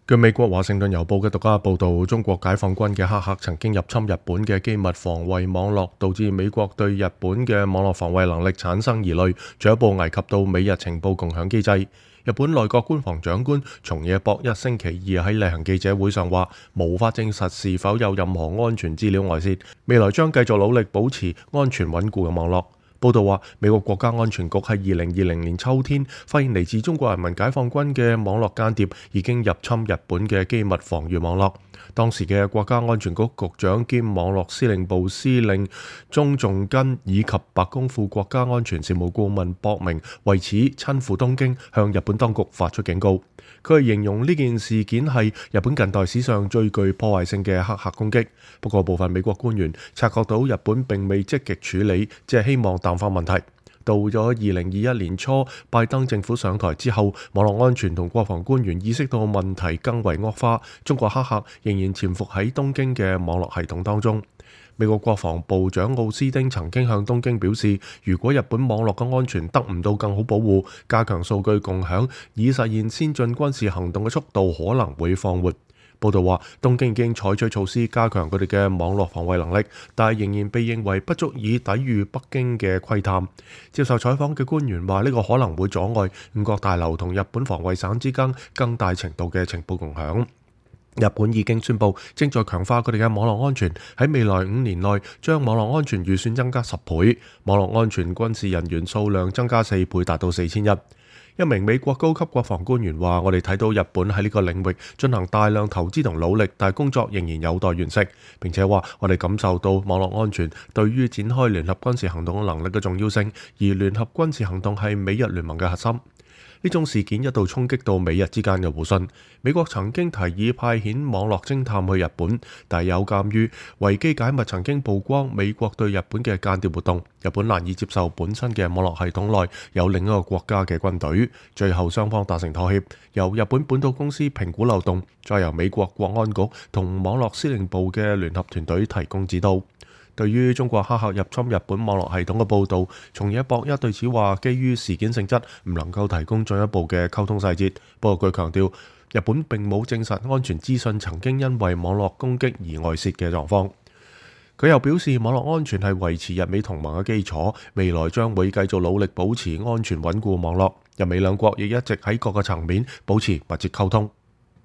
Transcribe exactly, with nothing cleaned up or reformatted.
據美國華盛頓郵報嘅獨家報導，中國解放軍嘅黑客曾經入侵日本嘅機密防衛網絡，導致美國對日本嘅網絡防衛能力產生疑慮，進一步危及到美日情報共享機制。日本內閣官房長官松野博一星期二喺例行記者會上話，無法證實是否有任何安全資料外泄，未來將繼續努力保持安全穩固嘅網絡。報道話，美國國家安全局喺二零二零年秋天發現嚟自中國人民解放軍嘅網絡間諜已經入侵日本嘅機密防禦網絡。當時嘅國家安全局局長兼網絡司令部司令中仲根以及白宮副國家安全事務顧問博明為此親赴東京，向日本當局發出警告。佢係形容呢件事件係日本近代史上最具破壞性嘅黑客攻擊。不過部分美國官員察覺到日本並未積極處理，只係希望淡化問題。到咗二零二一年初，拜登政府上台之後，網絡安全同國防官員意識到問題更為惡化，中國黑客仍然潛伏喺東京嘅網絡系統當中。美國國防部長奧斯汀曾經向東京表示，如果日本網絡嘅安全得唔到更好保護，加強數據共享，以實現先進軍事行動嘅速度可能會放緩。報道話，東京已經採取措施加強佢哋嘅網絡防衛能力，但係仍然被認為不足以抵禦北京嘅窺探。接受採訪嘅官員話，呢個可能會阻礙五角大樓同日本防衛省之間更大程度嘅情報共享。日本已經宣布正在強化佢哋嘅網絡安全，喺未來五年內將網絡安全預算增加十倍，網絡安全軍事人員數量增加四倍，達到四千一。一名美國高級國防官員話，我哋睇到日本喺呢個領域進行大量投資同努力，但係工作仍然有待完成。並且話，我哋感受到網絡安全對於展開聯合軍事行動嘅能力嘅重要性，而聯合軍事行動係美日聯盟嘅核心。呢種事件一度衝擊到美日之間嘅互信。美國曾經提議派遣網絡偵探去日本，但有鑑於維基解密曾經曝光美國對日本嘅間諜活動，日本難以接受本身嘅網絡系統內有另一個國家嘅軍隊。最後雙方達成妥協，由日本本土公司評估漏洞，再由美國國安局同網絡司令部嘅聯合團隊提供指導。對於中國黑客入侵日本網絡系統嘅報導，松野博一對此話，基於事件性質，唔能夠提供進一步嘅溝通細節。不過佢強調，日本並冇證實安全資訊曾經因為網絡攻擊而外泄嘅狀況。佢又表示，網絡安全係維持日美同盟嘅基礎，未來將會繼續努力保持安全穩固網絡。日美兩國亦一直喺各個層面保持密切溝通。